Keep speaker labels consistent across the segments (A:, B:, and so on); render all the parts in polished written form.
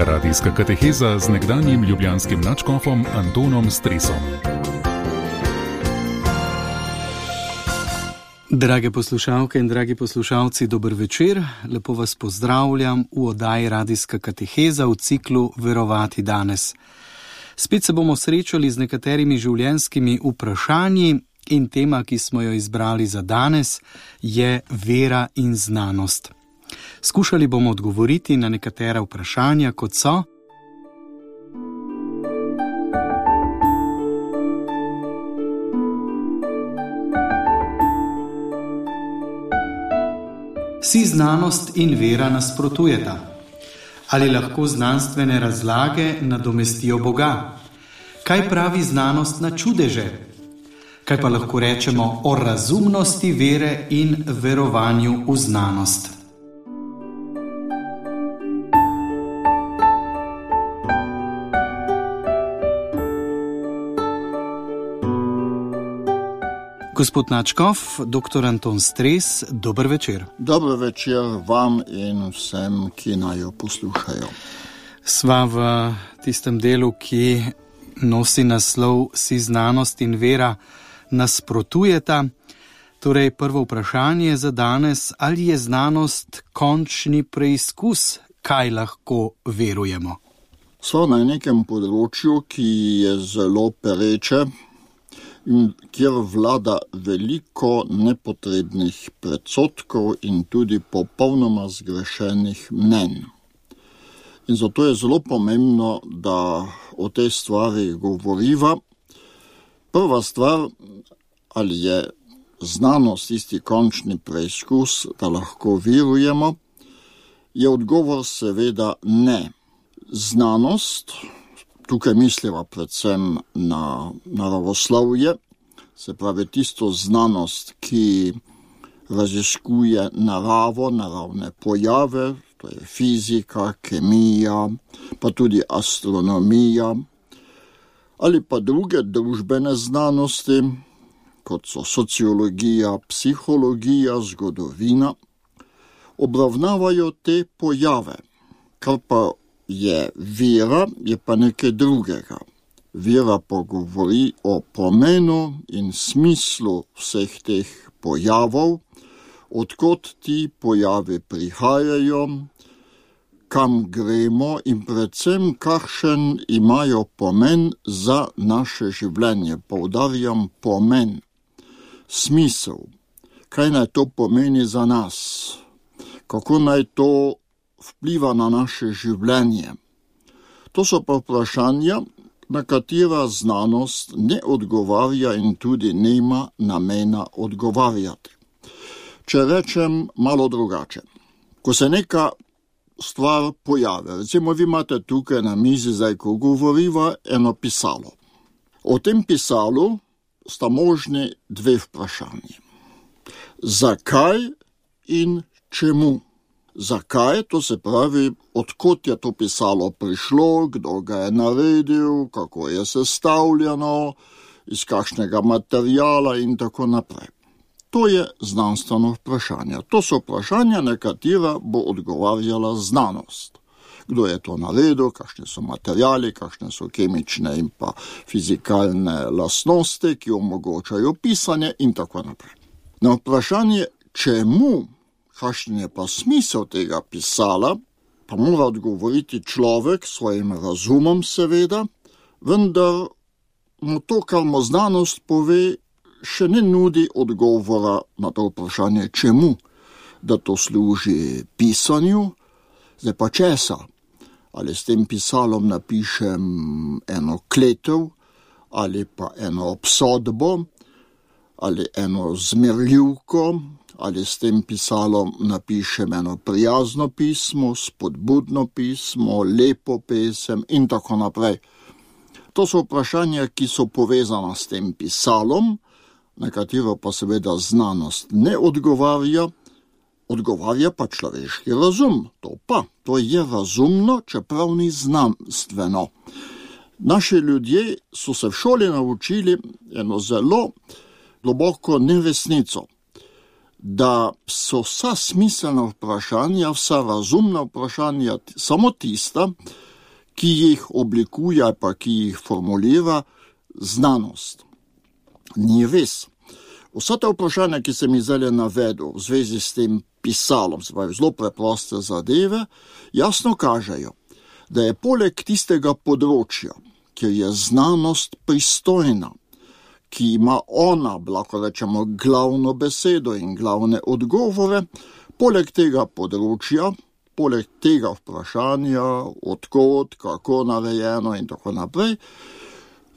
A: Radijska kateheza z nekdanjim ljubljanskim nadškofom Antonom Stresom.
B: Drage poslušalke in dragi poslušalci, dober večer. Lepo vas pozdravljam v oddaji Radijska kateheza v ciklu Verovati danes. Spet se bomo srečali z nekaterimi življenjskimi vprašanji in tema, ki smo jo izbrali za danes, je vera in znanost. Skušali bomo odgovoriti na nekatera vprašanja, kot so: si znanost in vera nasprotujeta? Ali lahko znanstvene razlage nadomestijo Boga? Kaj pravi znanost na čudeže? Kaj pa lahko rečemo o razumnosti vere in verovanju v znanost? Gospod nadškof, dr. Anton Stres, dober večer.
C: Dober večer vam in vsem, ki naj jo poslušajo.
B: Sva v tistem delu, ki nosi naslov Si znanost in vera nasprotujeta. Torej, prvo vprašanje za danes: ali je znanost končni preizkus, kaj lahko verujemo?
C: Sva na nekem področju, ki je zelo pereče, kjer vlada veliko nepotrebnih predsodkov in tudi popolnoma zgrešenih mnenj. In zato je zelo pomembno, da o tej stvari govoriva. Prva stvar, ali je znanost tisti končni preizkus, da lahko verujemo, je odgovor seveda ne. Znanost, tukaj misliva predvsem na naravoslovje, se pravi tisto znanost, ki raziskuje naravo, naravne pojave, to je fizika, kemija, pa tudi astronomija, ali pa druge družbene znanosti, kot so sociologija, psihologija, zgodovina, obravnavajo te pojave. Kar pa je vera, je pa nekaj drugega. Vera pa govori o pomenu in smislu vseh teh pojavov, odkot ti pojavi prihajajo, kam gremo in predvsem kakšen imajo pomen za naše življenje. Poudarjam pomen, smisel. Kaj naj to pomeni za nas? Kako naj to vpliva na naše življenje? To so pa vprašanja, na katera znanost ne odgovarja in tudi nima namena odgovarjati. Če rečem malo drugače, ko se neka stvar pojavi, recimo vi imate tukaj na mizi, zdaj ko govoriva, eno pisalo. O tem pisalu sta možni dve vprašanji. Zakaj in čemu? Zakaj, to se pravi, odkot je to pisalo prišlo, kdo ga je naredil, kako je sestavljeno, iz kakšnega materijala in tako naprej. To je znanstveno vprašanje. To so vprašanja, na katera bo odgovarjala znanost. Kdo je to naredil, kakšni so materijali, kakšne so kemične in pa fizikalne lastnosti, ki omogočajo pisanje in tako naprej. Na vprašanje, čemu, kakšen je pa smisel tega pisala, pa mora odgovoriti človek s svojim razumom seveda, vendar mu to, kar mu znanost pove, še ne nudi odgovora na to vprašanje, čemu, da to služi pisanju, zdaj pa česa. Ali s tem pisalom napišem eno kletev, ali pa eno obsodbo, ali eno zmerljivko, ali s tem pisalom napišem eno prijazno pismo, spodbudno pismo, lepo pesem in tako naprej. To so vprašanja, ki so povezana s tem pisalom, na katero pa seveda znanost ne odgovarja, odgovarja pa človeški razum. To je razumno, čeprav ni znanstveno. Naši ljudje so se v šoli naučili eno zelo globoko neresnico, da so vsa smiselna vprašanja, vsa razumna vprašanja samo tista, ki jih oblikuje ali pa ki jih formulira znanost. Ni res. Vsa ta vprašanja, ki sem jih zdaj navedel v zvezi s tem pisalom, se pravi zelo preproste zadeve, jasno kažejo, da je poleg tistega področja, kjer je znanost pristojna, ki ima ona, lahko rečemo, glavno besedo in glavne odgovore, poleg tega področja, poleg tega vprašanja, odkot, kako narejeno in tako naprej,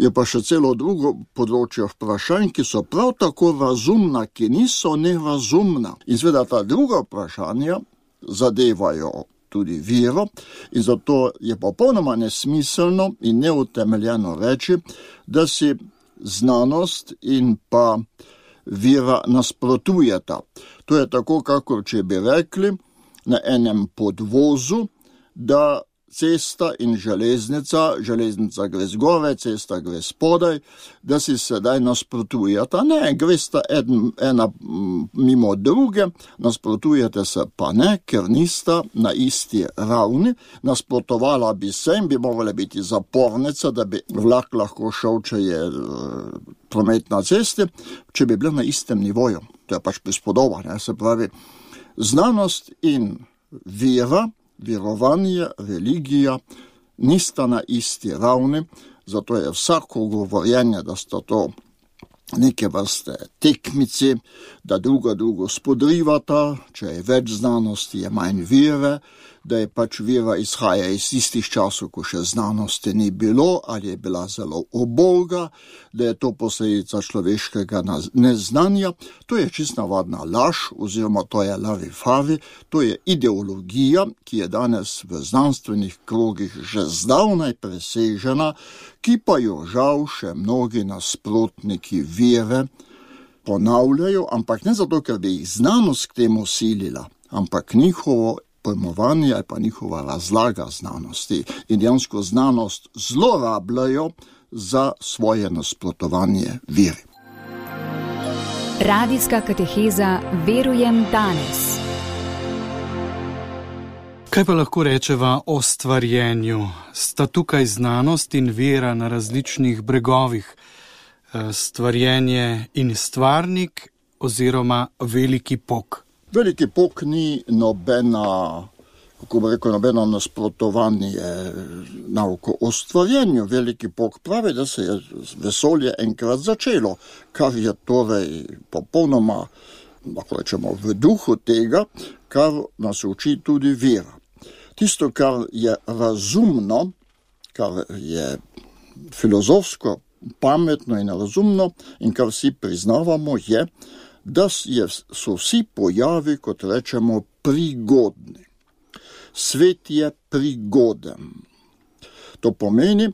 C: je pa še celo drugo področje vprašanj, ki so prav tako razumna, ki niso nerazumna. In seveda ta druga vprašanja zadevajo tudi vero in zato je popolnoma nesmiselno in neutemeljeno reči, da si znanost in pa vera nasprotujeta. To je tako, kakor če bi rekli na enem podvozu, da cesta in železnica gre zgore, cesta gre spodaj, da si sedaj nasprotujeta. Ne, gresta ena mimo druge, nasprotujete se pa ne, ker nista na isti ravni. Nasprotovala bi se in bi morala biti zapornica, da bi vlak lahko šel, če je promet na cesti, če bi bila na istem nivoju. To je pač prispodoba, ne? Se pravi, znanost in vera, verovanje, religija nista na isti ravni, zato je vsako govorjenje, da sta to neke vrste tekmici, da drugo spodrivata, če je več znanosti, je manj vere, da je pač vera izhaja iz istih časov, ko še znanosti ni bilo, ali je bila zelo uboga, da je to posledica človeškega neznanja. To je čisto navadna laž, oziroma to je larifavi, to je ideologija, ki je danes v znanstvenih krogih že zdavnaj presežena, ki pa jo žal še mnogi nasprotniki vere ponavljajo, ampak ne zato, ker bi jih znanost k temu silila, ampak njihovo pojmovanje ali pa njihova razlaga znanosti in dejansko znanost zlorabljajo za svoje nasprotovanje veri.
D: Radijska kateheza Verujem danes.
B: Kaj pa lahko rečeva o stvarjenju? Sta tukaj znanost in vera na različnih bregovih? Stvarjenje in stvarnik oziroma veliki pok?
C: Veliki pok ni nobeno nasprotovanje nauko o stvarjenju. Veliki pok pravi, da se je vesolje enkrat začelo, kar je torej popolnoma, lahko rečemo, v duhu tega, kar nas uči tudi vera. Tisto, kar je razumno, kar je filozofsko, pametno in razumno in kar vsi priznavamo, je, da so vsi pojavi, kot rečemo, prigodni. Svet je prigoden. To pomeni,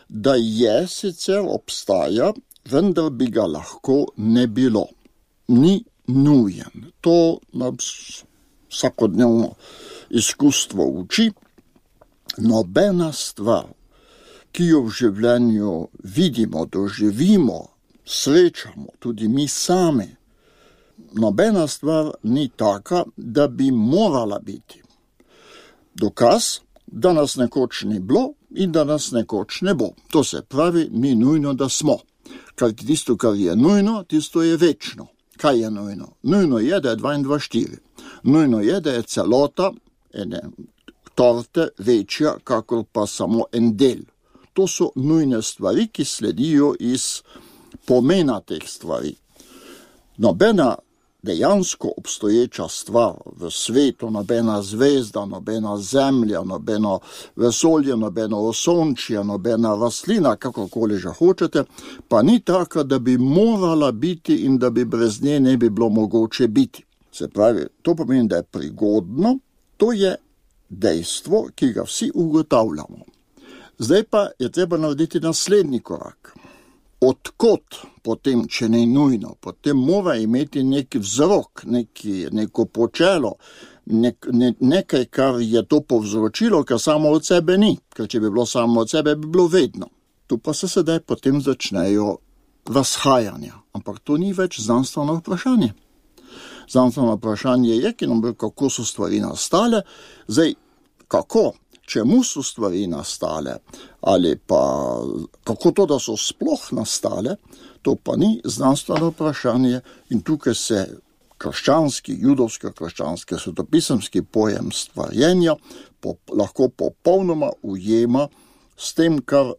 C: da je sicer obstaja, vendar bi ga lahko ne bilo. Ni nujen. To nas vsakodnevno izkustvo uči. Nobena stvar, ki jo v življenju vidimo, doživimo, srečamo, tudi mi sami, nobena stvar ni taka, da bi morala biti. Dokaz, da nas nekoč ni bilo in da nas nekoč ne bo. To se pravi, ni nujno, da smo. Ker tisto, kar je nujno, tisto je večno. Kaj je nujno? Nujno je, da je 22,4. Nujno je, da je celota ene torte večja, kakor pa samo en del. To so nujne stvari, ki sledijo iz pomena teh stvari. Nobena dejansko obstoječa stvar v svetu, nobena zvezda, nobena zemlja, nobeno vesolje, nobeno osončje, nobena rastlina, kakorkoli že hočete, pa ni taka, da bi morala biti in da bi brez nje ne bi bilo mogoče biti. Se pravi, to pomeni, da je prigodno, to je dejstvo, ki ga vsi ugotavljamo. Zdaj pa je treba narediti naslednji korak. Odkot potem, če ne nujno, potem mora imeti neki vzrok, neko počelo, nekaj, kar je to povzročilo, kar samo od sebe ni. Ker če bi bilo samo od sebe, bi bilo vedno. Tu pa se sedaj potem začnejo razhajanja. Ampak to ni več znanstveno vprašanje. Znanstveno vprašanje je, kako so stvari nastale. Zdaj, kako? čemu so stvari nastale, ali pa kako to, da so sploh nastale, to pa ni znanstveno vprašanje in tukaj se krščanski, judovsko-krščanski, svetopisemski pojem stvarjenja lahko popolnoma ujema s tem, kar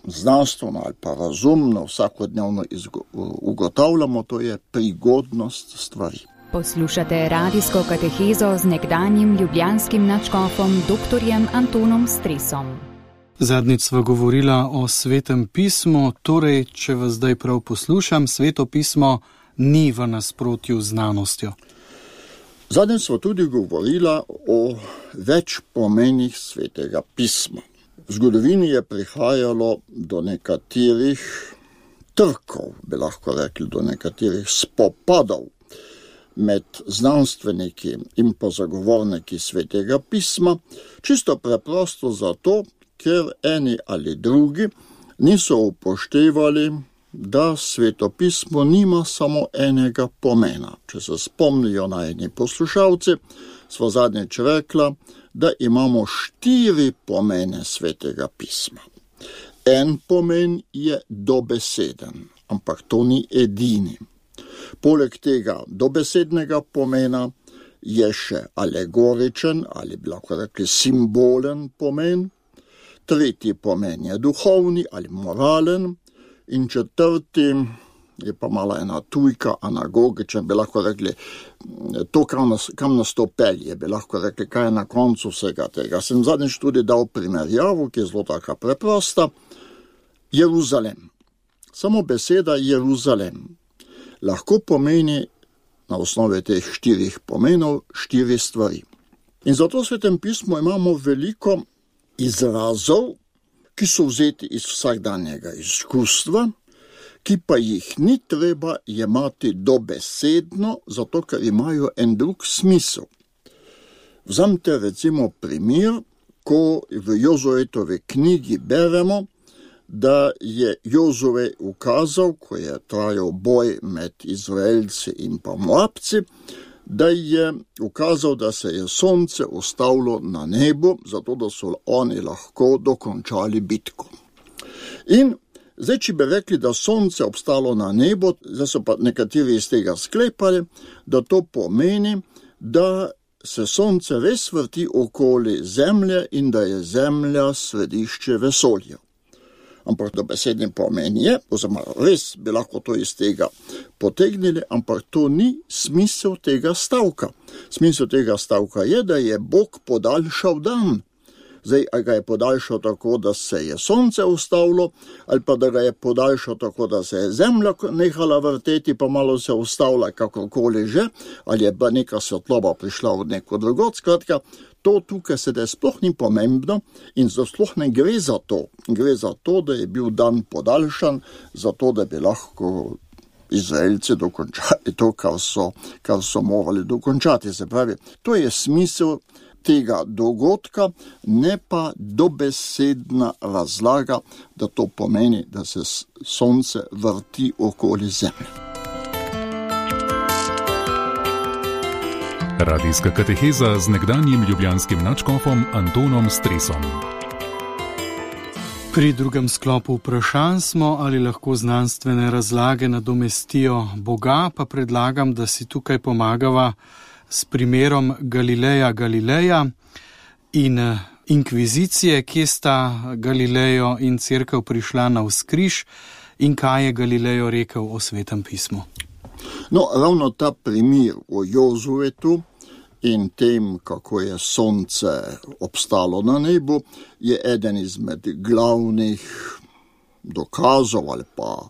C: znanstveno ali pa razumno vsakodnevno ugotavljamo, to je prigodnost stvari.
D: Poslušate radijsko katehezo z nekdanjim ljubljanskim nadškofom dr. Antonom Stresom.
B: Zadnjič sva govorila o Svetem pismu, torej, če vas zdaj prav poslušam, Sveto pismo ni v nasprotju z znanostjo.
C: Zadnjič sva tudi govorila o več pomenih Svetega pisma. V zgodovini je prihajalo do nekaterih trkov, bi lahko rekli, do nekaterih spopadov med znanstveniki in pa zagovorniki Svetega pisma, čisto preprosto zato, ker eni ali drugi niso upoštevali, da Sveto pismo nima samo enega pomena. Če se spomnijo najni poslušalci, sva zadnjič rekla, da imamo 4 pomene Svetega pisma. En pomen je dobeseden, ampak to ni edini. Poleg tega dobesednega pomena je še alegoričen ali bi lahko rekli simbolen pomen, tretji pomen je duhovni ali moralen in četrti je pa mala ena tujka, anagogičen, bi lahko rekli to, kam nas to pelje, bi lahko rekli, kaj je na koncu vsega tega. Sem zadnjič tudi dal primerjavo, ki je zelo taka preprosta. Jeruzalem. Samo beseda Jeruzalem lahko pomeni na osnovi teh 4 pomenov 4 stvari. In zato v Svetem pismu imamo veliko izrazov, ki so vzeti iz vsakdanjega izkustva, ki pa jih ni treba jemati dobesedno, zato ker imajo en drug smisel. Vzamite recimo primer, ko v Jozujetovi knjigi beremo, da je Jozue ukazal, ko je trajal boj med Izraelci in pa Moabci, da je ukazal, da se je sonce ustavilo na nebu, zato da so oni lahko dokončali bitko. In zdaj, če bi rekli, da sonce obstalo na nebu, zdaj so pa nekateri iz tega sklepali, da to pomeni, da se sonce res vrti okoli zemlje in da je zemlja središče vesolja. Ampak dobesedni pomen je, oziroma res bi lahko to iz tega potegnili, ampak to ni smisel tega stavka. Smisel tega stavka je, da je Bog podaljšal dan. Zdaj, a ga je podaljšal tako, da se je sonce ustavilo, ali pa da ga je podaljšal tako, da se je zemlja nehala vrteti, pa malo se ustavila kakorkoli že, ali je bila neka svetloba prišla od neko drugot. Skratka, to tukaj sedaj sploh ni pomembno in sploh ne gre za to. Gre za to, da je bil dan podaljšan, zato da bi lahko Izraelci dokončali to, kar so morali dokončati. Se pravi, to je smisel tega dogodka, ne pa dobesedna razlaga, da to pomeni, da se sonce vrti okoli zemlje.
A: Radijska kateheza z nekdanjim ljubljanskim nadškofom Antonom Stresom.
B: Pri drugem sklopu vprašanj smo, ali lahko znanstvene razlage nadomestijo Boga, pa predlagam, da si tukaj pomagava s primerom Galileja in inkvizicije, kje sta Galilejo in cerkev prišla navzkriž in kaj je Galilejo rekel o Svetem pismu.
C: No, ravno ta primer o Jozuetu in tem, kako je sonce obstalo na nebu, je eden izmed glavnih dokazov ali pa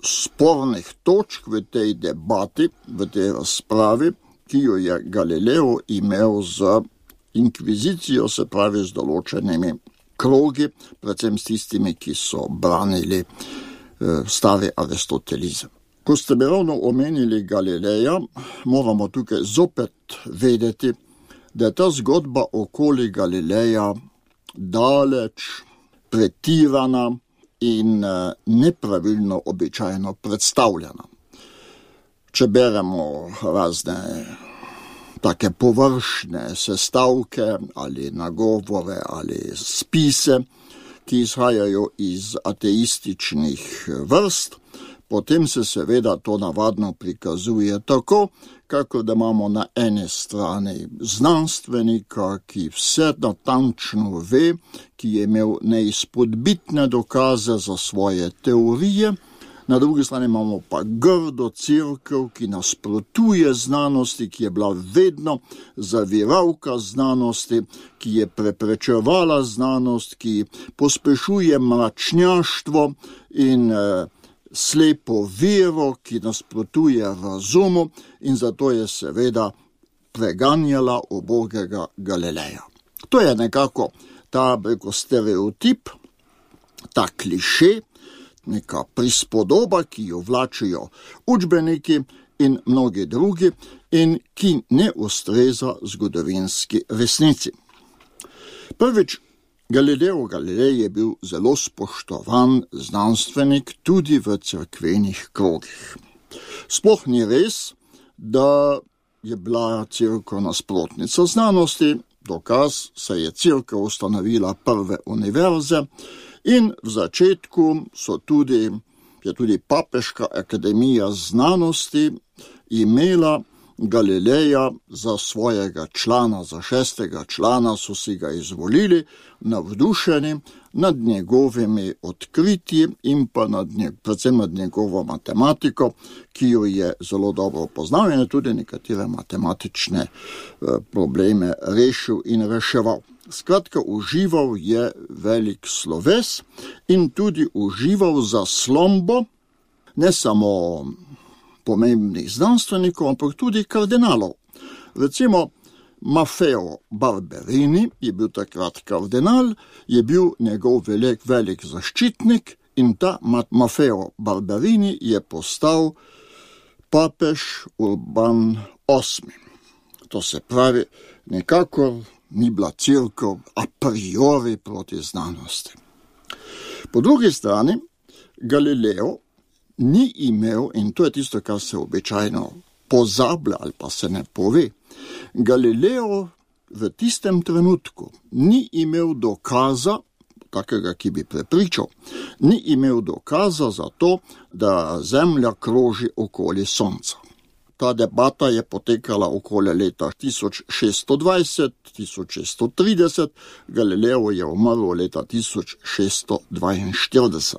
C: spornih točk v tej debati, v tej razpravi, ki jo je Galileo imel z inkvizicijo, se pravi z določenimi krogi, predvsem s tistimi, ki so branili stari aristotelizem. Ko ste mi ravno omenili Galileja, moramo tukaj zopet vedeti, da je ta zgodba okoli Galileja daleč pretirana in nepravilno običajno predstavljena. Če beremo razne take površne sestavke ali nagovore ali spise, ki izhajajo iz ateističnih vrst, potem se seveda to navadno prikazuje tako, kako da imamo na ene strani znanstvenika, ki vse natančno ve, ki je imel neizpodbitne dokaze za svoje teorije, na drugi strani imamo pa grdo cerkev, ki nasprotuje znanosti, ki je bila vedno zaviralka znanosti, ki je preprečevala znanost, ki pospešuje mračnjaštvo in slepo vero, ki nasprotuje razumu, in zato je seveda preganjala ubogega Galileja. To je nekako ta stereotip, ta kliše, neka prispodoba, ki jo vlačijo učbeniki in mnogi drugi in ki ne ustreza zgodovinski resnici. Prvič, Galileo Galilei je bil zelo spoštovan znanstvenik tudi v cerkvenih krogih. Sploh ni res, da je bila cerkev nasprotnica znanosti, dokaz, saj je cerkev ustanovila prve univerze in v začetku je tudi Papeška akademija znanosti imela Galileja za svojega člana, za 6. člana so si ga izvolili, navdušeni nad njegovimi odkritji in pa predvsem nad njegovo matematiko, ki jo je zelo dobro poznal in tudi nekatere matematične probleme rešil in reševal. Skratka, užival je velik sloves in tudi užival zaslombo ne samo pomembnih znanstvenikov, ampak tudi kardinalov. Recimo Maffeo Barberini je bil takrat kardinal, je bil njegov velik zaščitnik in ta Maffeo Barberini je postal papež Urban VIII. To se pravi, nekako ni bila cerkev a priori proti znanosti. Po drugi strani, Galileo ni imel, in to je tisto, kar se običajno pozablja ali pa se ne pove, Galileo v tistem trenutku ni imel dokaza, takega, ki bi prepričal, ni imel dokaza za to, da Zemlja kroži okoli Sonca. Ta debata je potekala okoli leta 1620-1630, Galileo je umrl leta 1642.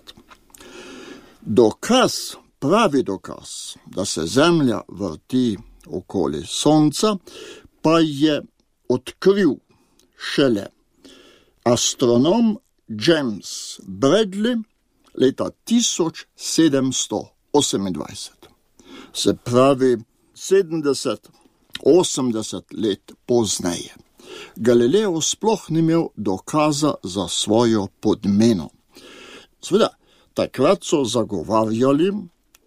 C: Pravi dokaz, da se Zemlja vrti okoli Sonca, pa je odkril šele astronom James Bradley leta 1728. Se pravi 70-80 let pozneje. Galileo sploh ni imel dokaza za svojo podmeno. Seveda, takrat so zagovarjali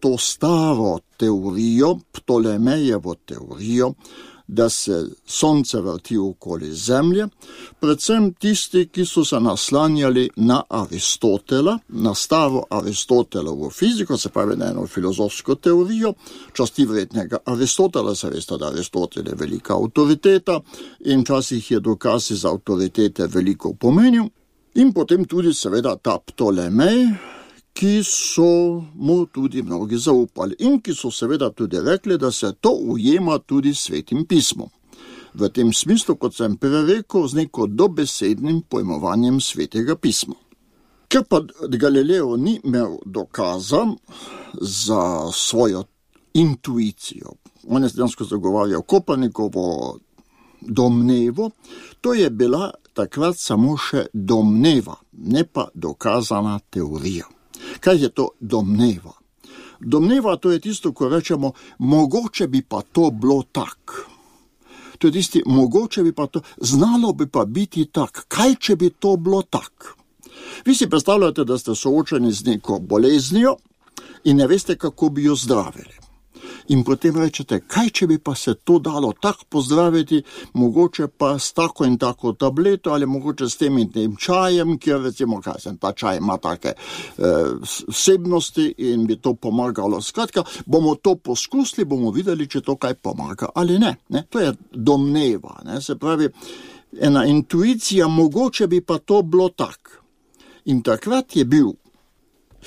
C: to staro teorijo, Ptolemejevo teorijo, da se Sonce vrti okoli Zemlje, predvsem tisti, ki so se naslanjali na Aristotela, na staro Aristotelovo fiziko, se pravi na eno filozofsko teorijo, časti vrednega Aristotela, se veste, da Aristotel je velika avtoriteta in včasih je dokaz iz avtoritete veliko pomenil, in potem tudi seveda ta Ptolemej, ki so mu tudi mnogi zaupali in ki so seveda tudi rekli, da se to ujema tudi Svetim pismom. V tem smislu, kot sem prej rekel, z neko dobesednim pojmovanjem Svetega pisma. Ker pa Galileo ni imel dokaza za svojo intuicijo, on je dejansko zagovarjal Kopernikovo domnevo, to je bila takrat samo še domneva, ne pa dokazana teorija. Kaj je to domneva? Domneva, to je tisto, ko rečemo, mogoče bi pa to bilo tak. To je tisti, mogoče bi pa to, znalo bi pa biti tak. Kaj, če bi to bilo tak? Vi si predstavljate, da ste soočeni z neko boleznijo in ne veste, kako bi jo zdravili. In potem rečete, kaj če bi pa se to dalo tako pozdraviti, mogoče pa s tako in tako tableto ali mogoče s tem in tem čajem, kjer recimo, ta čaj ima take vsebnosti in bi to pomagalo. Skratka, bomo to poskusili, bomo videli, če to kaj pomaga ali ne. To je domneva, se pravi, ena intuicija, mogoče bi pa to bilo tak. In takrat je bil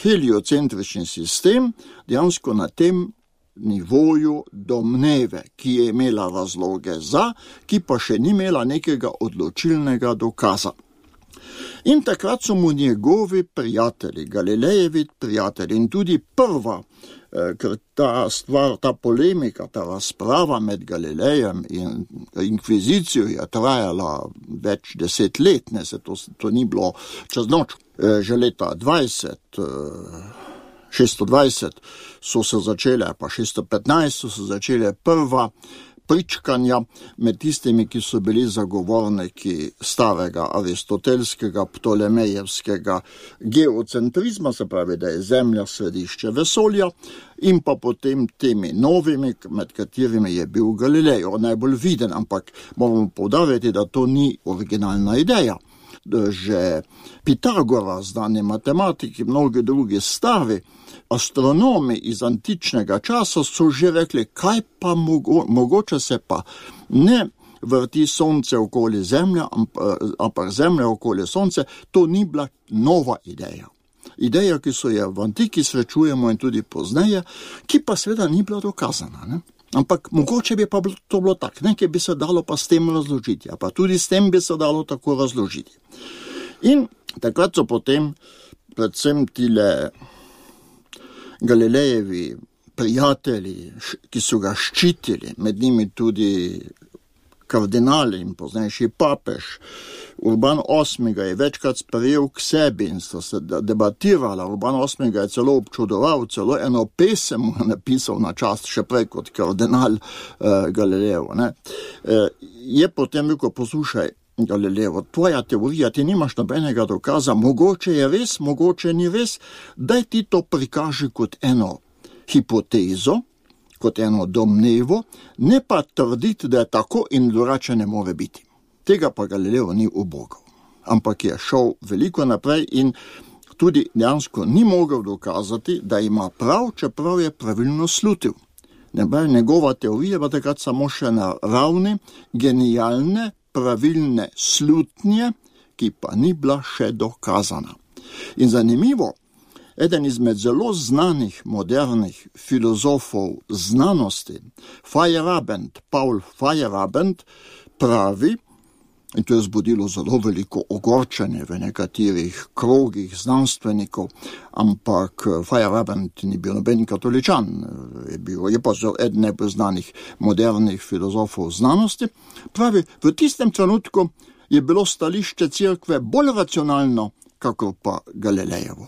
C: heliocentrični sistem dejansko na tem nivoju domneve, ki je imela razloge za, ki pa še ni imela nekega odločilnega dokaza. In takrat so mu njegovi prijatelji, Galilejevi prijatelji in tudi prva, ker ta stvar, ta polemika, ta razprava med Galilejem in inkvizicijo je trajala več 10 let, to ni bilo čez noč. Že leta 620 so se začele, pa 615 so se začele prva pričkanja med tistimi, ki so bili zagovorniki starega aristotelskega, ptolemejevskega geocentrizma, se pravi, da je Zemlja središče vesolja, in pa potem temi novimi, med katerimi je bil Galilej, najbolj viden, ampak moramo poudariti, da to ni originalna ideja. Že Pitagora, znani matematiki, mnogi drugi stari astronomi iz antičnega časa so že rekli, kaj pa mogoče se pa ne vrti sonce okoli Zemlje, ampak Zemlja okoli sonce, to ni bila nova ideja. Ideja, ki so jo v antiki srečujemo in tudi pozneje, ki pa seveda ni bila dokazana, Ampak mogoče bi pa to bilo tako, nekaj bi se dalo pa s tem razložiti, pa tudi s tem bi se dalo tako razložiti. In takrat so potem predvsem tile Galilejevi prijatelji, ki so ga ščitili, med njimi tudi kardinali in poznejši papež, Urban VIII ga je večkrat sprejel k sebi in so se debatirala. Urban VIII ga je celo občudoval, celo eno pesem mu napisal na čast še prej kot kardinal Galilejev. Je potem rekel, poslušaj, Galilejev, tvoja teorija, ti nimaš nobenega dokaza, mogoče je res, mogoče ni res, daj ti to prikaži kot eno hipotezo, kot eno domnevo, ne pa trditi, da je tako in drugače ne more biti. Tega pa Galilejev ni ubogal, ampak je šel veliko naprej in tudi dejansko ni mogel dokazati, da ima prav, čeprav je pravilno slutil. Njegova teorija pa takrat samo še na ravni genialne, pravilne slutnje, ki pa ni bila še dokazana. In zanimivo, eden izmed zelo znanih modernih filozofov znanosti, Paul Feyerabend, pravi, in to je zbudilo zelo veliko ogorčenje v nekaterih krogih znanstvenikov, ampak Feyerabend ni bil noben katoličan, je pa eden najbolj znanih modernih filozofov znanosti, pravi, v tistem trenutku je bilo stališče cerkve bolj racionalno, kakor pa Galilejevo.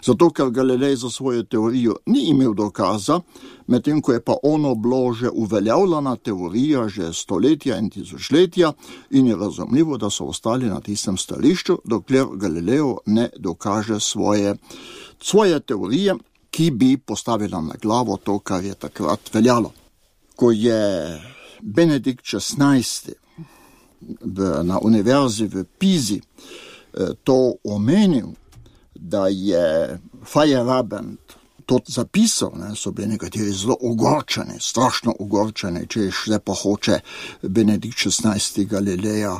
C: Zato, ker Galilej za svojo teorijo ni imel dokaza, medtem ko je pa ono bilo že uveljavljena teorija že stoletja in tisočletja in je razumljivo, da so ostali na tistem stališču, dokler Galilejev ne dokaže svoje teorije, ki bi postavila na glavo to, kar je takrat veljalo. Ko je Benedikt XVI na univerzi v Pizi to omenil, da je Feyerabend to zapisal, so bili nekateri zelo ogorčeni, strašno ogorčeni, če zdaj pa hoče Benedikt XVI Galileja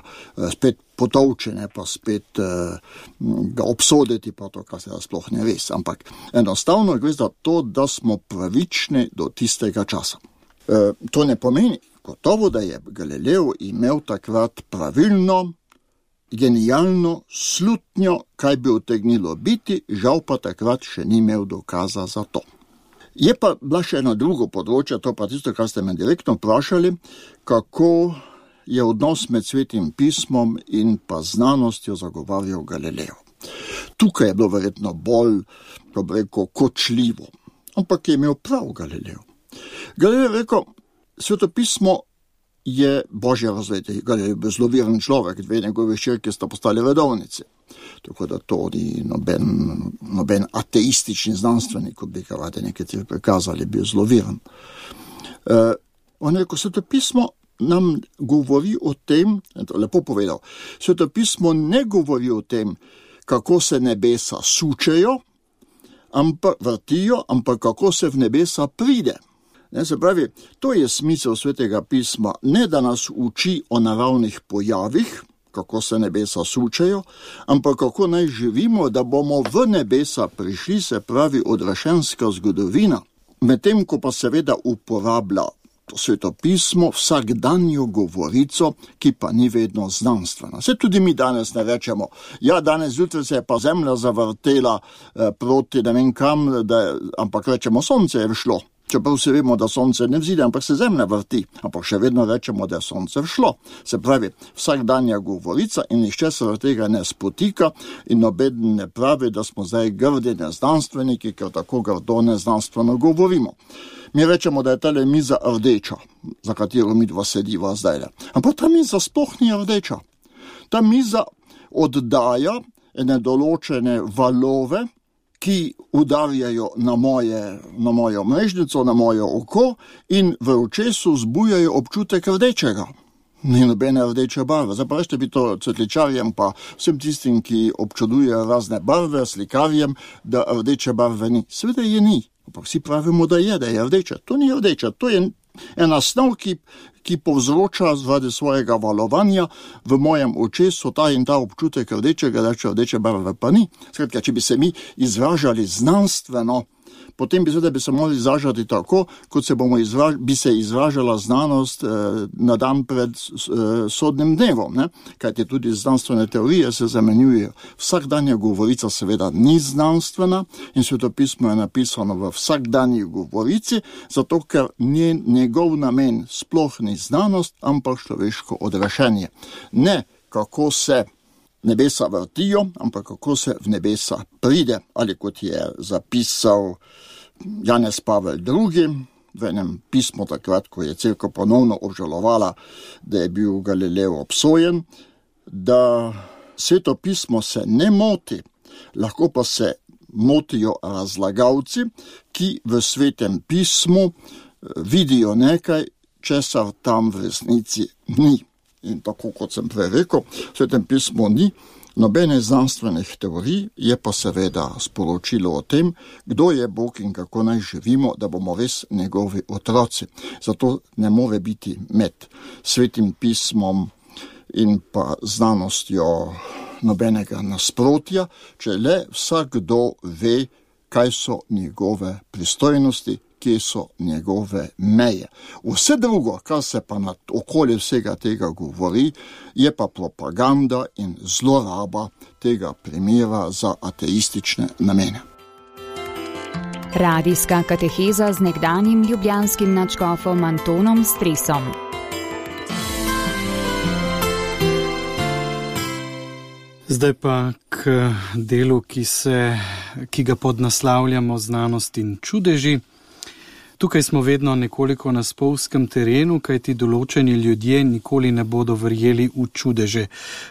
C: spet potolčene, pa spet ga obsoditi, pa to, kar se da sploh ne res. Ampak enostavno gre za to, da smo pravični do tistega časa. To ne pomeni gotovo, da je Galilejev imel takrat pravilno, genialno slutnjo, kaj bi utegnilo biti, žal pa takrat še ni imel dokaza za to. Je pa bila še eno drugo področje, to pa tisto, kar ste me direktno vprašali, kako je odnos med Svetim pismom in pa znanostjo zagovarjal Galilejev. Tukaj je bilo verjetno bolj, kočljivo, ampak je imel prav Galilejev. Galilejev je rekel, Sveto pismo je božje razvetje, Galilej je zelo veren človek, dve njegove hčerke sta postali redovnice. Tako da to ni noben ateistični znanstvenik, kot bi ga radi nekateri prikazali, bil zelo veren. On rekel, svetopismo nam govori o tem, lepo povedal, svetopismo ne govori o tem, kako se nebesa sučejo, vrtijo, ampak kako se v nebesa pride. Se pravi, to je smisel svetega pisma, ne da nas uči o naravnih pojavih, kako se nebesa sučejo, ampak kako naj živimo, da bomo v nebesa prišli, se pravi odraščenska zgodovina. Medtem ko pa seveda uporablja svetopismo vsakdanjo govorico, ki pa ni vedno znanstvena. Se tudi mi danes ne rečemo, danes zjutraj se je pa zemlja zavrtela proti ne vem kam, ampak rečemo, sonce je všlo. Čeprav se vemo, da sonce ne vzide, ampak se zemlja vrti, ampak še vedno rečemo, da je sonce všlo. Se pravi, vsakdanja govorica in nišče se od tega ne spotika in nobeden ne pravi, da smo zdaj grdi neznanstveniki, ker tako grdo neznanstveno govorimo. Mi rečemo, da je tale miza rdeča, za katero mi dva sediva zdaj. Ampak ta miza sploh ni rdeča. Ta miza oddaja ene določene valove, ki udarjajo na mojo mrežnico, na mojo oko in v očesu zbujajo občutek rdečega. Ni nobene rdeče barve. Zdaj pa rešte bi to cvetličarjem pa vsem tistim, ki občudujejo razne barve, slikarjem, da rdeče barve ni. Seveda je ni. Pa vsi pravimo, da je rdeče. To ni rdeče, to je ena snov, ki povzroča zaradi svojega valovanja v mojem očesu ta in ta občutek rdečega, rdeče barve pa ni. Skratka, če bi se mi izražali znanstveno, potem bi se morali izražati tako, kot bi se izražala znanost na dan pred sodnim dnevom. Ne? Kajti tudi znanstvene teorije se zamenjujejo. Vsakdanja govorica seveda ni znanstvena in svetopismo je napisano v vsakdanji govorici, zato ker njegov namen sploh ni znanost, ampak človeško odraščenje. Ne kako se nebesa vrtijo, ampak kako se v nebesa pride, ali kot je zapisal Janez Pavel II. V enem pismu takrat, ko je cerkev ponovno obžalovala, da je bil Galileo obsojen, da sveto pismo se ne moti, lahko pa se motijo razlagalci, ki v svetem pismu vidijo nekaj, česar tam v resnici ni. In tako kot sem prej rekel, v svetem pismu ni nobene znanstvenih teorij, je pa seveda sporočilo o tem, kdo je Bog in kako naj živimo, da bomo res njegovi otroci. Zato ne more biti med svetim pismom in pa znanostjo nobenega nasprotja, če le vsakdo ve, kaj so njegove pristojnosti, kje so njegove meje. Vse drugo, kar se pa okoli vsega tega govori, je pa propaganda in zloraba tega primera za ateistične namene.
D: Radijska kateheza z nekdanjim ljubljanskim nadškofom Antonom Stresom.
B: Zdaj pa k delu, ki ga podnaslavljamo znanost in čudeži. Tukaj smo vedno nekoliko na spolzkem terenu, kajti določeni ljudje nikoli ne bodo verjeli v čudeže.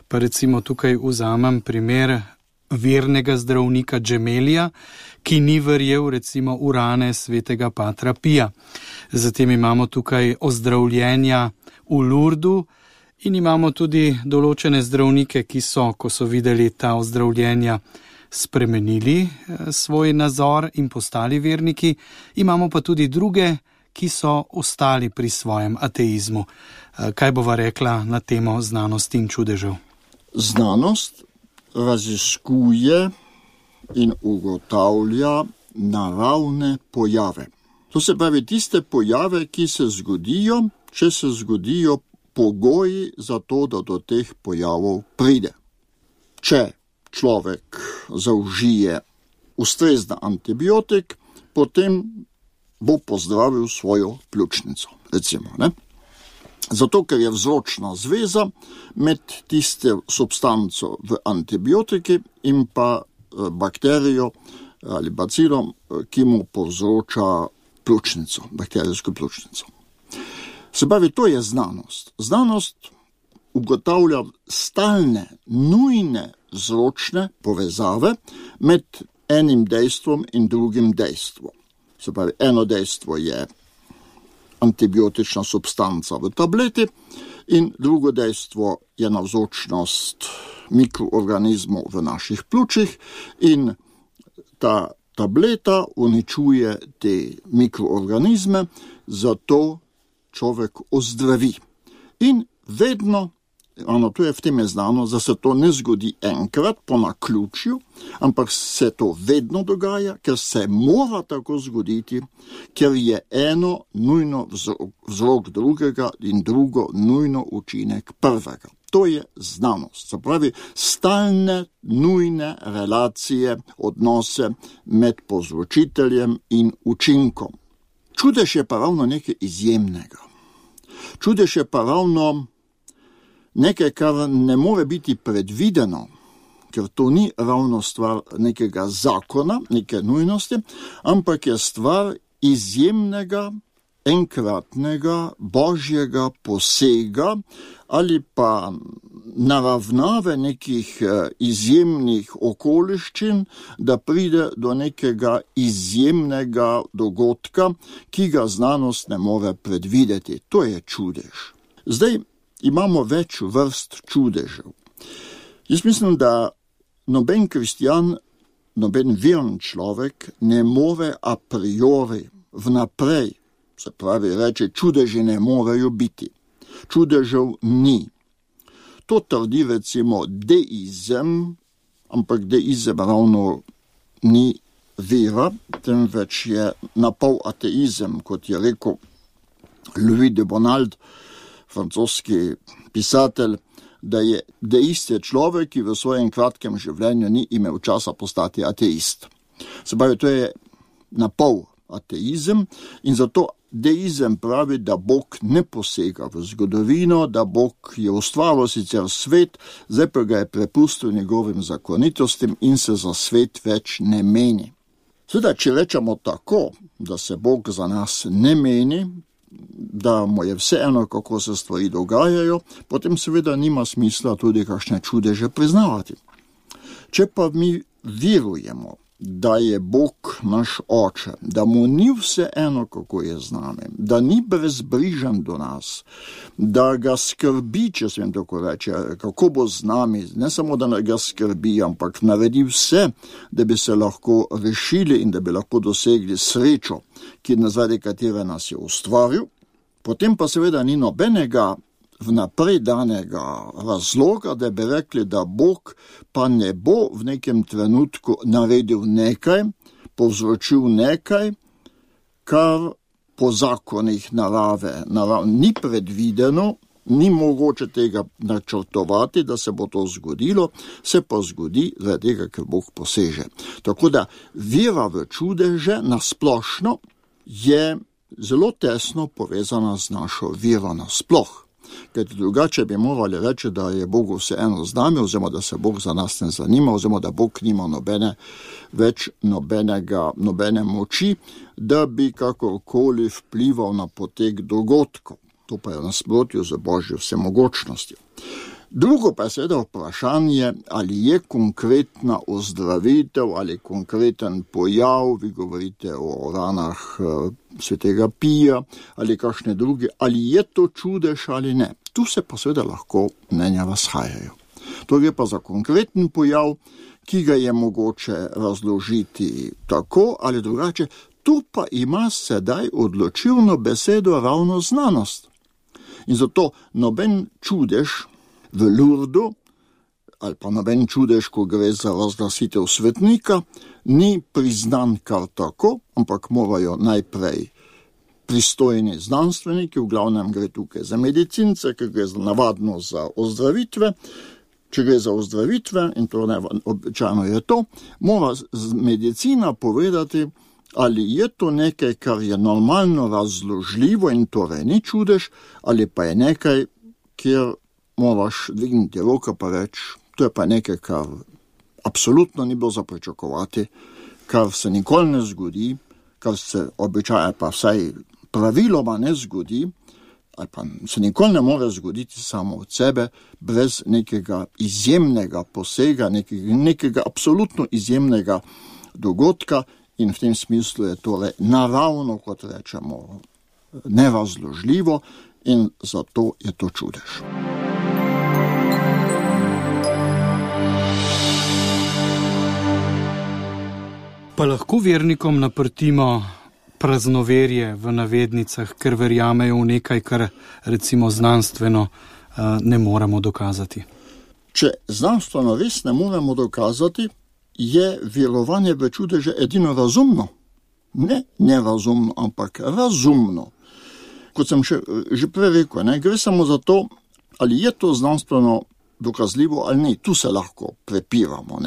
B: Pa recimo tukaj vzamem primer vernega zdravnika Džemelija, ki ni verjel recimo v rane svetega patra Pija. Zatem imamo tukaj ozdravljenja v Lurdu in imamo tudi določene zdravnike, ki so, ko so videli ta ozdravljenja, spremenili svoj nazor in postali verniki. Imamo pa tudi druge, ki so ostali pri svojem ateizmu. Kaj bova rekla na temo znanosti in čudežev?
C: Znanost raziskuje in ugotavlja naravne pojave. To se pravi tiste pojave, ki se zgodijo, če se zgodijo pogoji za to, da do teh pojavov pride. Če človek zaužije ustrezen antibiotik, potem bo pozdravil svojo pljučnico, recimo, ne? Zato, ker je vzročna zveza med tiste substanco v antibiotiki in pa bakterijo ali bacilom, ki mu povzroča pljučnico, bakterijsko pljučnico. Se pravi, to je znanost. Znanost ugotavlja stalne, nujne vzročne povezave med enim dejstvom in drugim dejstvom. Se pravi, eno dejstvo je antibiotična substanca v tableti in drugo dejstvo je navzočnost mikroorganizmov v naših pljučih in ta tableta uničuje te mikroorganizme, zato človek ozdravi. In vedno, to je v tem je znano, da se to ne zgodi enkrat po naključju, ampak se to vedno dogaja, ker se mora tako zgoditi, ker je eno nujno vzrok drugega in drugo nujno učinek prvega. To je znanost, se pravi stalne, nujne relacije, odnose med povzročiteljem in učinkom. Čudež je pa ravno nekaj izjemnega. Čudež je pa ravno nekaj, kar ne more biti predvideno, ker to ni ravno stvar nekega zakona, neke nujnosti, ampak je stvar izjemnega, enkratnega, božjega posega ali pa naravnave nekih izjemnih okoliščin, da pride do nekega izjemnega dogodka, ki ga znanost ne more predvideti. To je čudež. Zdaj imamo več vrst čudežev. Jaz mislim, da noben kristjan, noben veren človek ne more a priori vnaprej, se pravi reči, čudeži ne morejo biti. Čudežev ni. To trdi recimo deizem, ampak deizem ravno ni vera, temveč je napol ateizem, kot je rekel Louis de Bonald, francoski pisatelj, da je deist je človek, ki v svojem kratkem življenju ni imel časa postati ateist. Se pravi, to je napol ateizem in zato deizem pravi, da Bog ne posega v zgodovino, da Bog je ustvaril sicer svet, zdaj pa ga je prepustil njegovim zakonitostim in se za svet več ne meni. Seveda, če rečemo tako, da se Bog za nas ne meni, da mu je vseeno, kako se stvari dogajajo, potem seveda nima smisla tudi kakšne čudeže priznavati. Če pa mi verujemo, da je Bog naš oče, da mu ni vseeno, kako je z nami, da ni brezbrižen do nas, da ga skrbi, če sem tako reče, kako bo z nami, ne samo da ga skrbi, ampak naredi vse, da bi se lahko rešili in da bi lahko dosegli srečo, zaradi katere nas je ustvaril, potem pa seveda ni nobenega vnaprej danega razloga, da bi rekli, da Bog pa ne bo v nekem trenutku naredil nekaj, povzročil nekaj, kar po zakonih narave ni predvideno, ni mogoče tega načrtovati, da se bo to zgodilo, se pa zgodi zaradi tega, ker Bog poseže. Tako da vera v čudeže nasplošno je zelo tesno povezana z našo vero nasploh. Ker drugače bi morali reči, da je Bogu vseeno z nami, oziroma da se Bog za nas ne zanima, oziroma da Bog nima nobene moči, da bi kakorkoli vplival na potek dogodkov. To pa je v nasprotju z Božjo vsemogočnostjo. Drugo pa je seveda vprašanje, ali je konkretna ozdravitev ali konkreten pojav, vi govorite o ranah svetega Pija ali kakšne druge, ali je to čudež ali ne. Tu se pa seveda lahko mnenja razhajajo. To gre pa za konkreten pojav, ki ga je mogoče razložiti tako ali drugače. Tu pa ima sedaj odločilno besedo ravno znanost. In zato noben čudež v Lurdu, ali pa noben čudež, ko gre za razglasitev svetnika, ni priznan kar tako, ampak morajo najprej pristojni znanstveniki, v glavnem gre tukaj za medicince, ker gre navadno za ozdravitve. Če gre za ozdravitve, in to običajno je to, mora medicina povedati, ali je to nekaj, kar je normalno razložljivo in torej ni čudež, ali pa je nekaj, kjer moraš dvigniti roka pa reči, to je pa nekaj, kar absolutno ni bilo za pričakovati, kar se nikoli ne zgodi, kar se običaje pa vsaj praviloma ne zgodi, ali pa se nikoli ne more zgoditi samo od sebe, brez nekega izjemnega posega, nekega absolutno izjemnega dogodka, in v tem smislu je tole naravno, kot rečemo, nerazložljivo in zato je to čudež.
B: Pa lahko vernikom naprtimo praznoverje v navednicah, ker verjamejo v nekaj, kar recimo znanstveno ne moremo dokazati.
C: Če znanstveno res ne moremo dokazati, je verovanje v čudeže edino razumno. Ne nerazumno, ampak razumno. Kot sem že prej rekel, gre samo za to, ali je to znanstveno dokazljivo ali ni. Tu se lahko prepiramo.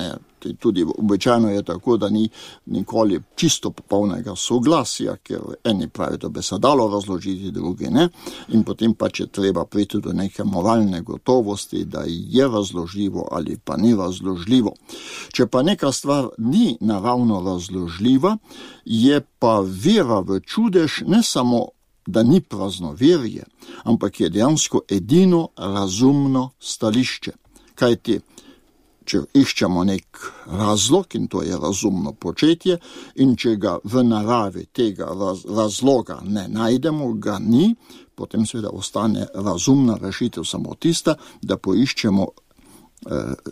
C: Tudi običajno je tako, da ni nikoli čisto popolnega soglasja, ker eni pravijo, da bi se dalo razložiti, drugi ne. In potem pač je treba priti do neke moralne gotovosti, da je razložljivo ali pa ni razložljivo. Če pa neka stvar ni naravno razložljiva, je pa vera v čudež ne samo, da ni praznoverje, ampak je dejansko edino razumno stališče. Kajti, če iščemo nek razlog, in to je razumno početje, in če ga v naravi tega razloga ne najdemo, ga ni, potem seveda ostane razumna rešitev samo tista, da poiščemo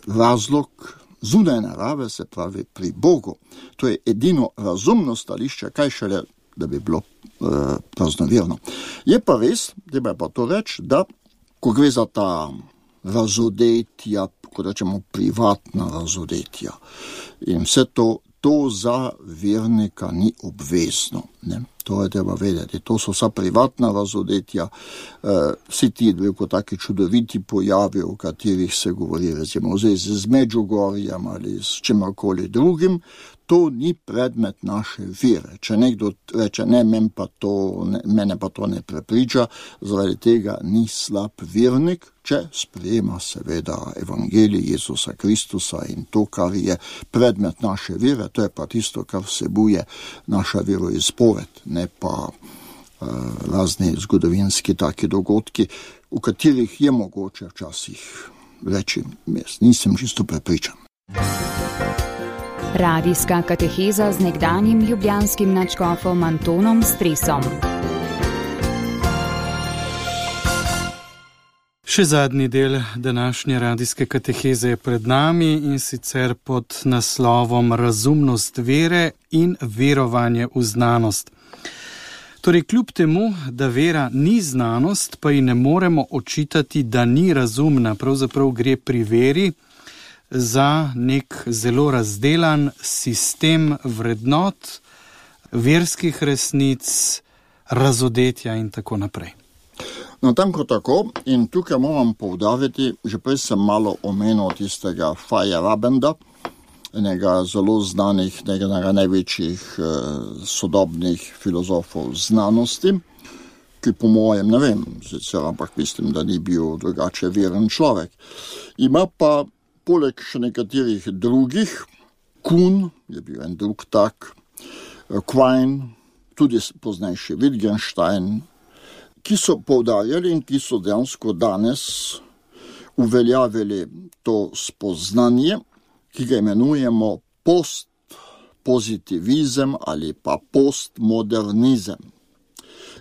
C: razlog zunaj narave, se pravi pri Bogu. To je edino razumno stališče, kaj šele, da bi bilo praznoverno. Je pa res, treba je pa to reči, da ko gre za ta razodetja, kot rečemo privatna razodetja, in vse to za vernika ni obvezno. To je treba vedeti. To so vsa privatna razodetja, vsi ti taki čudoviti pojavi, o katerih se govori, recimo z Medžugorjem ali s čemarkoli drugim, to ni predmet naše vere. Če nekdo reče, ne, mene pa to ne prepriča, zaradi tega ni slab vernik, če sprejema seveda evangelij Jezusa Kristusa in to, kar je predmet naše vere, to je pa tisto, kar vsebuje naša veroizpoved, ne pa razni zgodovinski taki dogodki, v katerih je mogoče včasih reči, jaz nisem čisto prepričan.
D: Radijska kateheza z nekdanjim ljubljanskim nadškofom Antonom Stresom.
B: Še zadnji del današnje radijske kateheze je pred nami in sicer pod naslovom Razumnost vere in verovanje v znanost. Torej, kljub temu, da vera ni znanost, pa ji ne moremo očitati, da ni razumna. Pravzaprav gre pri veri za nek zelo razdelan sistem vrednot, verskih resnic, razodetja in tako naprej.
C: Natanko tako, in tukaj moram poudariti, že prej sem malo omenil tistega Feyerabenda, enega zelo znanih, enega največjih sodobnih filozofov znanosti, ki po mojem, ne vem, sicer, ampak mislim, da ni bil drugače veren človek. Ima pa poleg še nekaterih drugih, Kuhn je bil en drug tak, Quine, tudi poznejši Wittgenstein, ki so poudarjali in ki so dejansko danes uveljavili to spoznanje, ki ga imenujemo postpozitivizem ali pa postmodernizem.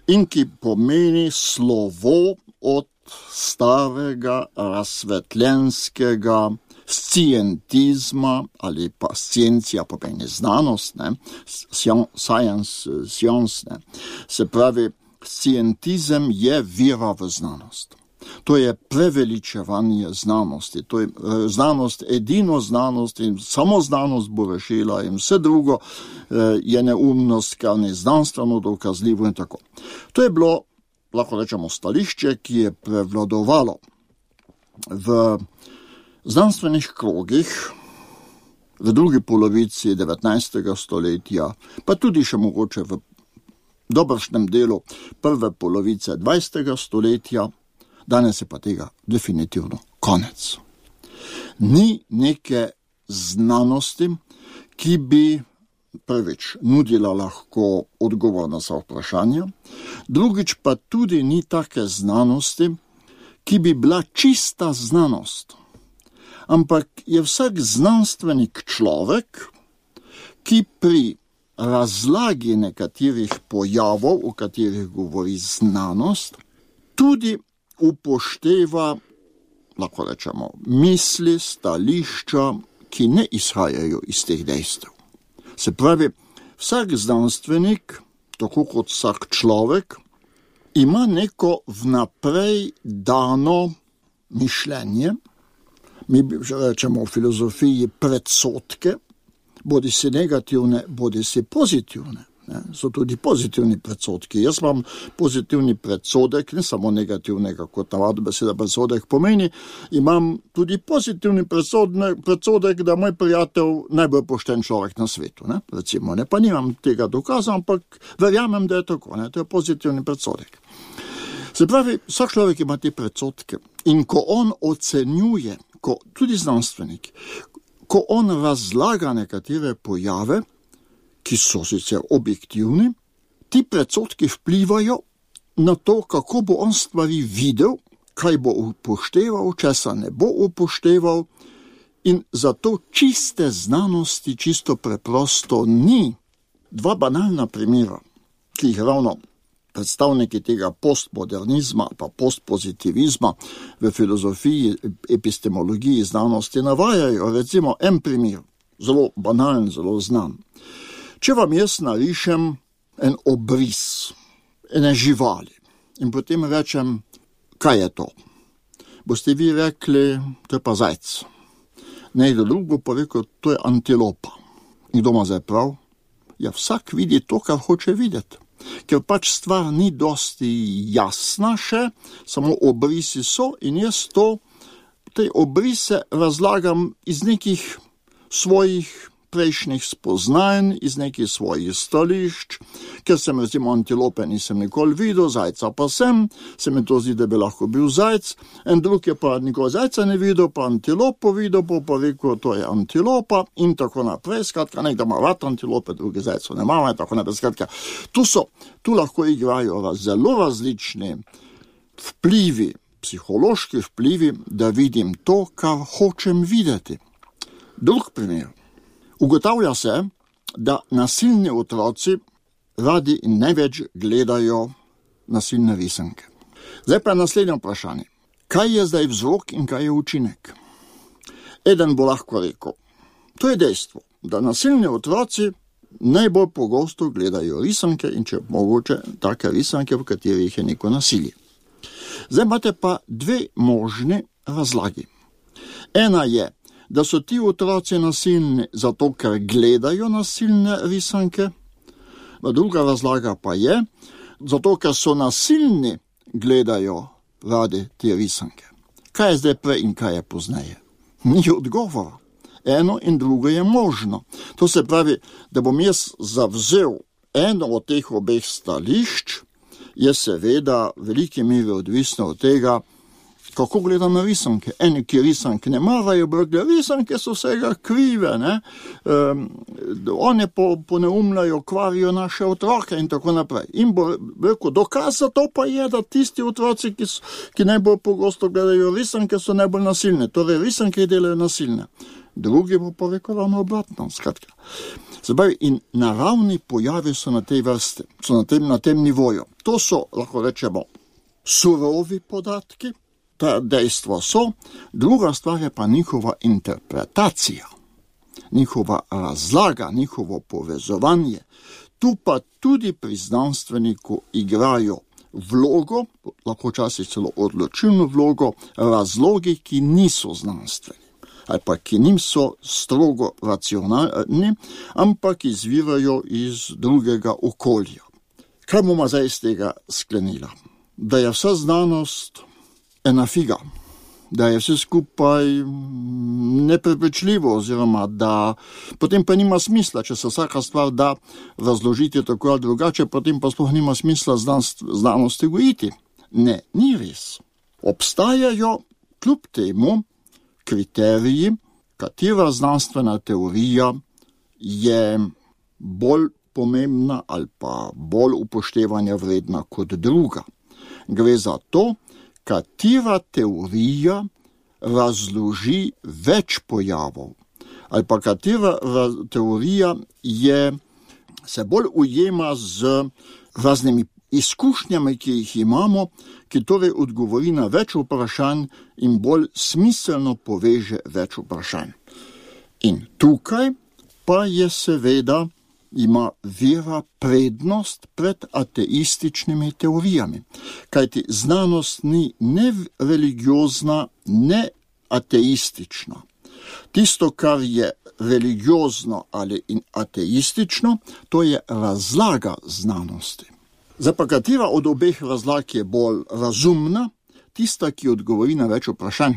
C: In ki pomeni slovo od starega razsvetljenskega scientizma ali pa sciencija pomeni znanost, science, se pravi, scientizem je vera v znanost. To je preveličevanje znanosti. To je znanost, edino znanost in samo znanost bo rešila in vse drugo je neumnost, kar ni znanstveno dokazljivo in tako. To je bilo, lahko rečemo, stališče, ki je prevladovalo v znanstvenih krogih v drugi polovici 19. stoletja, pa tudi še mogoče v dobršnem delu prve polovice 20. stoletja, danes je pa tega definitivno konec. Ni neke znanosti, ki bi prvič nudila lahko odgovor na vsa vprašanja, drugič pa tudi ni take znanosti, ki bi bila čista znanost. Ampak je vsak znanstvenik človek, ki pri razlagi nekaterih pojavov, o katerih govori znanost, tudi upošteva, lahko rečemo, misli, stališča, ki ne izhajajo iz teh dejstev. Se pravi, vsak znanstvenik, tako kot vsak človek, ima neko vnaprej dano mišljenje, mi rečemo v filozofiji predsodke, bodi si negativne, bodi si pozitivne. So tudi pozitivni predsodki. Jaz imam pozitivni predsodek, ne samo negativnega, kot navadno beseda predsodek pomeni, imam tudi pozitivni predsodek, da moj prijatelj najbolj pošten človek na svetu. Ne? Recimo, ne? Pa nimam tega dokaza, ampak verjamem, da je tako. Ne? To je pozitivni predsodek. Se pravi, vsak človek ima te predsodke in ko on ocenjuje, tudi znanstvenik, ko on razlaga nekatere pojave, ki so sicer objektivni, ti predsodki vplivajo na to, kako bo on stvari videl, kaj bo upošteval, česa ne bo upošteval, in zato čiste znanosti čisto preprosto ni. Dva banalna primera, ki jih ravno predstavniki tega postmodernizma pa postpozitivizma v filozofiji, epistemologiji znanosti navajajo. Recimo en primer, zelo banalen, zelo znan. Če vam jaz narišem en obris ene živali in potem rečem, kaj je to? Boste vi rekli, to je pa zajec. Nekdo drug bo pa rekel, to je antilopa. In kdo ima zdaj prav? Ja, vsak vidi to, kar hoče videti. Ker pač stvar ni dosti jasna še, samo obrisi so in jaz te obrise razlagam iz nekih svojih prejšnjih spoznanj, iz nekih svojih stališč, ker sem recimo antilope nisem nikoli videl, zajca pa sem, se mi to zdi, da bi lahko bil zajc, en drug je pa nikoli zajca ne videl, pa antilopo videl, pa rekel, to je antilopa in tako naprej, skratka, nekdo ima rad antilope, drugi zajco ne ima, in tako naprej, skratka, tu lahko igrajo zelo različni vplivi, psihološki vplivi, da vidim to, kar hočem videti. Drug primer. Ugotavlja se, da nasilni otroci radi in največ gledajo nasilne risanke. Zdaj pa naslednje vprašanje. Kaj je zdaj vzrok in kaj je učinek? Eden bo lahko rekel, to je dejstvo, da nasilni otroci najbolj pogosto gledajo risanke in če mogoče take risanke, v katerih je neko nasilje. Zdaj imate pa dve možni razlagi. Ena je, da so ti otroci nasilni zato, ker gledajo nasilne risanke, druga razlaga pa je, zato, ker so nasilni, gledajo radi te risanke. Kaj je zdaj prej in kaj je pozneje? Ni odgovora. Eno in drugo je možno. To se pravi, da bom jaz zavzel eno od teh obeh stališč, je seveda v veliki meri odvisno od tega, kako gleda na risanke. Eni, ki risanke ne marajo, risanke so vsega krive, ne? One poneumljajo, kvarijo naše otroke in tako naprej. In bo rekel, dokaz za to pa je, da tisti otroci, ki najbolj pogosto gledajo risanke, so najbolj nasilne. Torej, risanke delajo nasilne. Drugi bo pa rekel ravno obratno, skratka. Zdaj, in naravni pojavi so na tej vrsti, so na tem nivoju. To so, lahko rečemo, surovi podatki, ta dejstva so, druga stvar je pa njihova interpretacija, njihova razlaga, njihovo povezovanje. Tu pa tudi pri znanstveniku igrajo vlogo, lahko včasih celo odločilno vlogo, razlogi, ki niso znanstveni, ali pa ki niso strogo racionalni, ampak izvirajo iz drugega okolja. Kaj bomo zdaj iz tega sklenila? Da je vsa znanost ena figa, da je vse skupaj neprepričljivo, oziroma da potem pa nima smisla, če se vsaka stvar da razložiti tako ali drugače, potem pa sploh nima smisla znanosti gojiti. Ne, ni res. Obstajajo kljub temu kriteriji, katera znanstvena teorija je bolj pomembna ali pa bolj upoštevanja vredna kot druga. Gre za to, katera teorija razloži več pojavov, ali pa katera teorija je se bolj ujema z raznimi izkušnjami, ki jih imamo, ki torej odgovori na več vprašanj in bolj smiselno poveže več vprašanj. In tukaj pa je seveda ima vera prednost pred ateističnimi teorijami, kajti znanost ni ne religiozna, ne ateistična. Tisto, kar je religiozno ali ateistično, to je razlaga znanosti. Zdaj pa katera od obeh razlag je bolj razumna? Tista, ki odgovori na več vprašanj.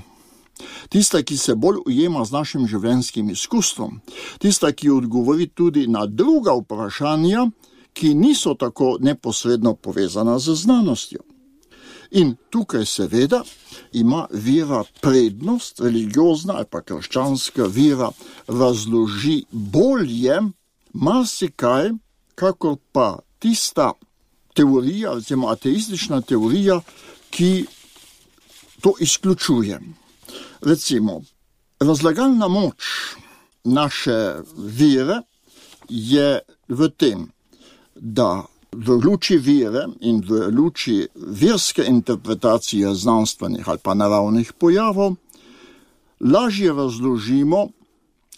C: Tista, ki se bolj ujema z našim življenjskim izkustvom. Tista, ki odgovori tudi na druga vprašanja, ki niso tako neposredno povezana z znanostjo. In tukaj seveda ima vera prednost, religiozna ali pa krščanska vera razloži bolje marsikaj, kakor pa tista teorija, recimo ateistična teorija, ki to izključuje. Recimo, razlagalna moč naše vere je v tem, da v luči vere in v luči verske interpretacije znanstvenih ali pa naravnih pojavov lažje razložimo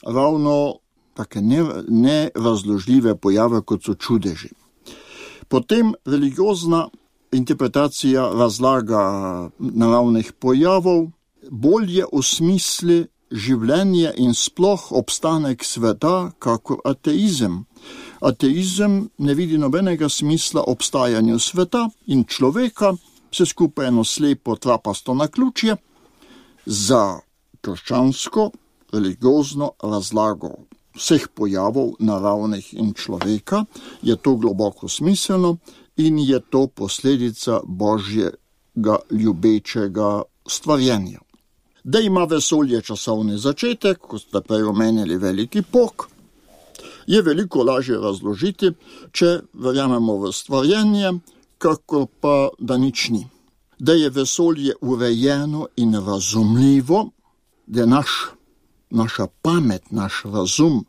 C: ravno take nerazložljive pojave, kot so čudeži. Potem religiozna interpretacija razlaga naravnih pojavov bolje osmisli življenje in sploh obstanek sveta, kakor ateizem. Ateizem ne vidi nobenega smisla obstajanju sveta in človeka, vse skupaj eno slepo trapasto naključje. Za krščansko religiozno razlago vseh pojavov naravnih in človeka je to globoko smiselno in je to posledica Božjega ljubečega stvarjenja. Da ima vesolje časovni začetek, kot ste prej omenili veliki pok, je veliko lažje razložiti, če verjamemo v stvarjenje, kakor pa da nič ni. Da je vesolje urejeno in razumljivo, da je naša pamet, naš razum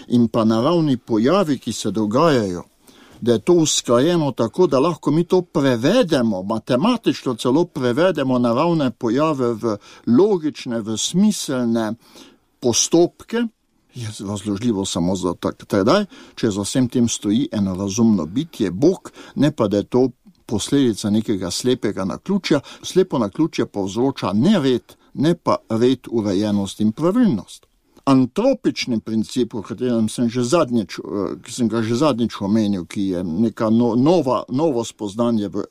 C: in pa naravni pojavi, ki se dogajajo, da je to usklajeno tako, da lahko mi to prevedemo, matematično celo prevedemo naravne pojave v logične, v smiselne postopke, je razložljivo samo za tedaj, če za vsem tem stoji eno razumno bitje, Bog, ne pa da je to posledica nekega slepega naključja. Slepo naključje povzroča nered, ne pa red, urejenost in pravilnost. Antropični princip, o katerem sem ga že zadnjič omenil, ki je neka novo spoznanje v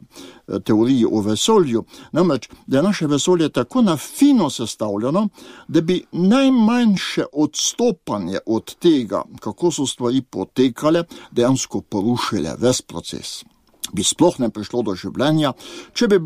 C: teoriji o vesolju, namreč, da je naše vesolje tako na fino sestavljeno, da bi najmanjše odstopanje od tega, kako so stvari potekale, dejansko porušile ves proces. Bi sploh ne prišlo do življenja, če bi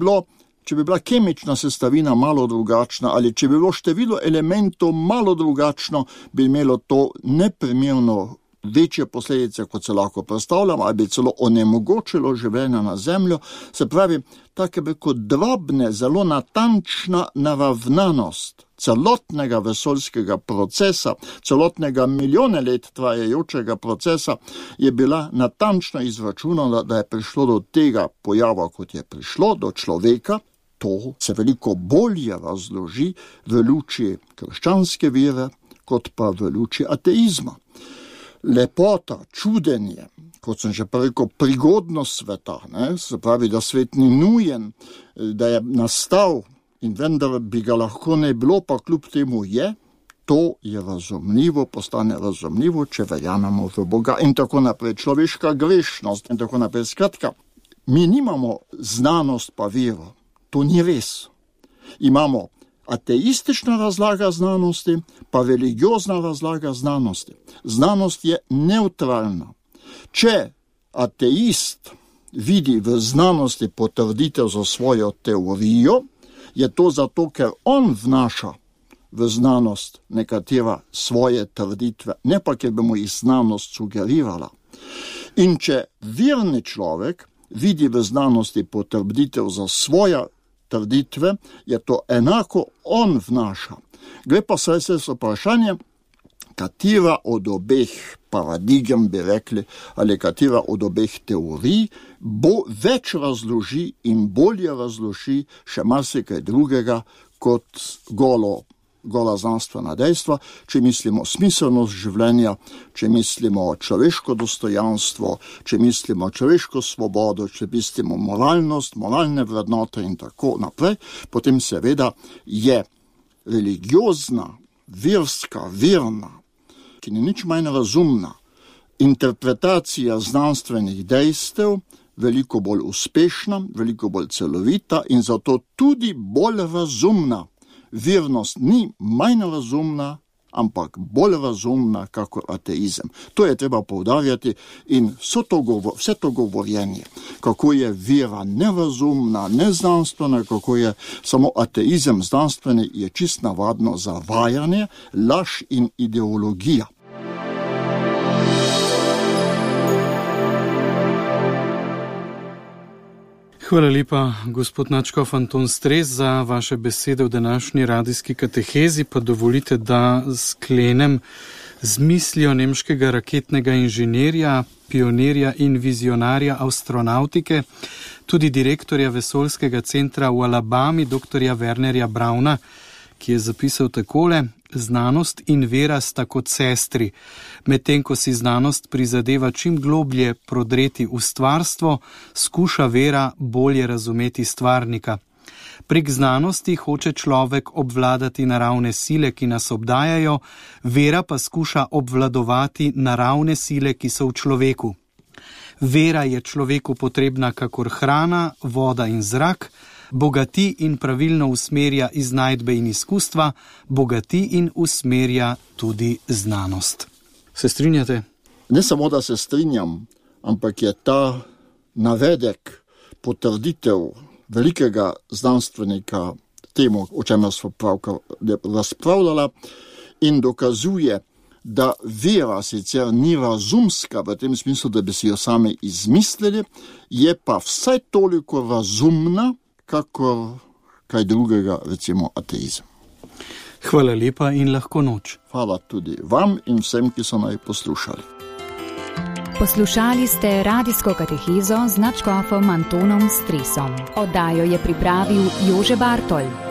C: bila kemična sestavina malo drugačna ali če bi bilo število elementov malo drugačno, bi imelo to neprimerno večje posledice, kot se lahko predstavljamo, ali bi celo onemogočilo življenje na Zemljo. Se pravi, take bi kot drobne, zelo natančna naravnanost celotnega vesoljskega procesa, celotnega milijone let trajajočega procesa, je bila natančno izračunana, da je prišlo do tega pojava, kot je prišlo, do človeka. To se veliko bolje razloži v luči krščanske vere, kot pa v luči ateizma. Lepota, čudenje, kot sem že rekel, prigodnost sveta, se pravi, da svet ni nujen, da je nastal in vendar bi ga lahko ne bilo, pa kljub temu je, to je razumljivo, postane razumljivo, če verjamemo v Boga in tako naprej. Človeška grešnost in tako naprej. Skratka, mi nimamo znanost pa vero. To ni res. Imamo ateistična razlaga znanosti, pa religiozna razlaga znanosti. Znanost je neutralna. Če ateist vidi v znanosti potrditev za svojo teorijo, je to zato, ker on vnaša v znanost nekatera svoje trditve, ne pa, ker bi mu jih znanost sugerirala. In če verni človek vidi v znanosti potrditev za svoje trditve, je to enako on vnaša. Gre pa se vprašanje, katera od obeh paradigem, bi rekli, ali katera od obeh teorij bo več razloži in bolje razloži še marsikaj drugega kot gola znanstvena dejstva, če mislimo smiselnost življenja, če mislimo človeško dostojanstvo, če mislimo človeško svobodo, če mislimo moralnost, moralne vrednote in tako naprej, potem seveda je religiozna, verna, ki ni nič manj razumna, interpretacija znanstvenih dejstev veliko bolj uspešna, veliko bolj celovita in zato tudi bolj razumna. Vernost ni manj razumna, ampak bolj razumna kakor ateizem. To je treba poudarjati in vse to govorjenje, kako je vera nerazumna, neznanstvena, kako je samo ateizem znanstveni, je čist navadno zavajanje, laž in ideologija.
B: Hvala lepa, gospod nadškof Anton Stres, za vaše besede v današnji radijski katehezi, pa dovolite, da sklenem z mislijo nemškega raketnega inženirja, pionirja in vizionarja astronautike, tudi direktorja vesoljskega centra v Alabami, doktorja Wernerja Brauna, ki je zapisal takole: znanost in vera sta kot sestri. Medtem ko si znanost prizadeva čim globlje prodreti v stvarstvo, skuša vera bolje razumeti stvarnika. Prek znanosti hoče človek obvladati naravne sile, ki nas obdajajo, vera pa skuša obvladovati naravne sile, ki so v človeku. Vera je človeku potrebna kakor hrana, voda in zrak, bogati in pravilno usmerja iznajdbe in izkustva, bogati in usmerja tudi znanost. Se strinjate?
C: Ne samo, da se strinjam, ampak je ta navedek, potrditev velikega znanstvenika temu, o čemer smo pravkar razpravljala, in dokazuje, da vera sicer ni razumska v tem smislu, da bi si jo sami izmislili, je pa vsaj toliko razumna, kakor kaj drugega, recimo ateizem.
B: Hvala lepa in lahko noč.
C: Hvala tudi vam in vsem, ki so naj poslušali.
D: Poslušali ste radijsko katehezo z nadškofom Antonom Stresom. Oddajo je pripravil Jože Bartol.